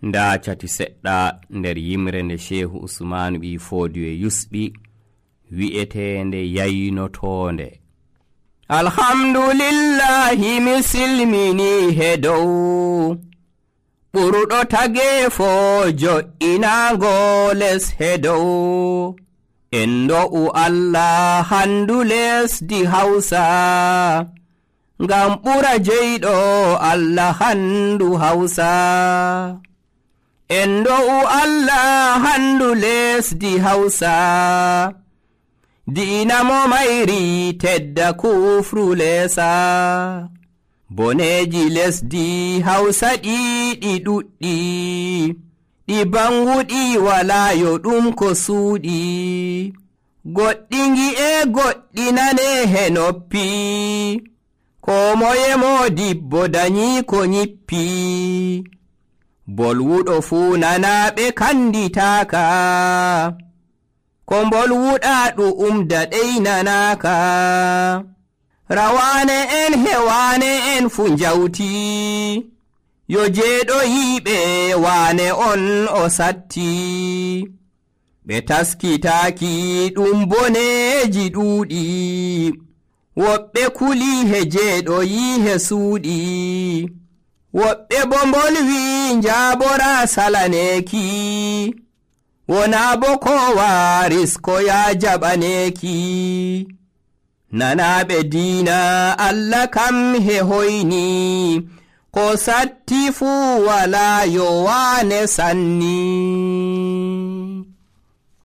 nda cati seɗɗa nder yimre nde Shehu Usmanu ɓi Fodiyo yusɓi wi'etende yaynotonde. Alhamdulillahi mi silmini hedow ɓurɗo tagefo jo'inago les hedow en do'u Allah handu lesdi Hausa ngam ɓura jeyɗo Allah handu Hausa. En do'u Allah handu lesdi Hausa diina mo mayri tedda kufru lesa. Boneji lesdi Hausa ɗiɗi ɗuɗɗi ɗi banguɗi wala yo ɗum ko suuɗi. Goɗɗi ngi'e goɗɗi nane he noppi ko moye modibbo danyi ko nyippi. Bolwuɗo fuu nanaɓe kanditaka ko bolwuɗa ɗu'um daɗey nanaka. Rawane en hewane en fu njawti yo jeeɗo yiɓe wane on o satti. Ɓe taskitaki ɗum boneji ɗuuɗi woɓɓe kuli he jeeɗo yi he suuɗi. Woɓɓe bo bolwi njabora salaneki wona bo ko waris ko ya jaɓaneki. Nanaɓe diina Allah kam he hoyni ko satti fuu wala yo wane sanni.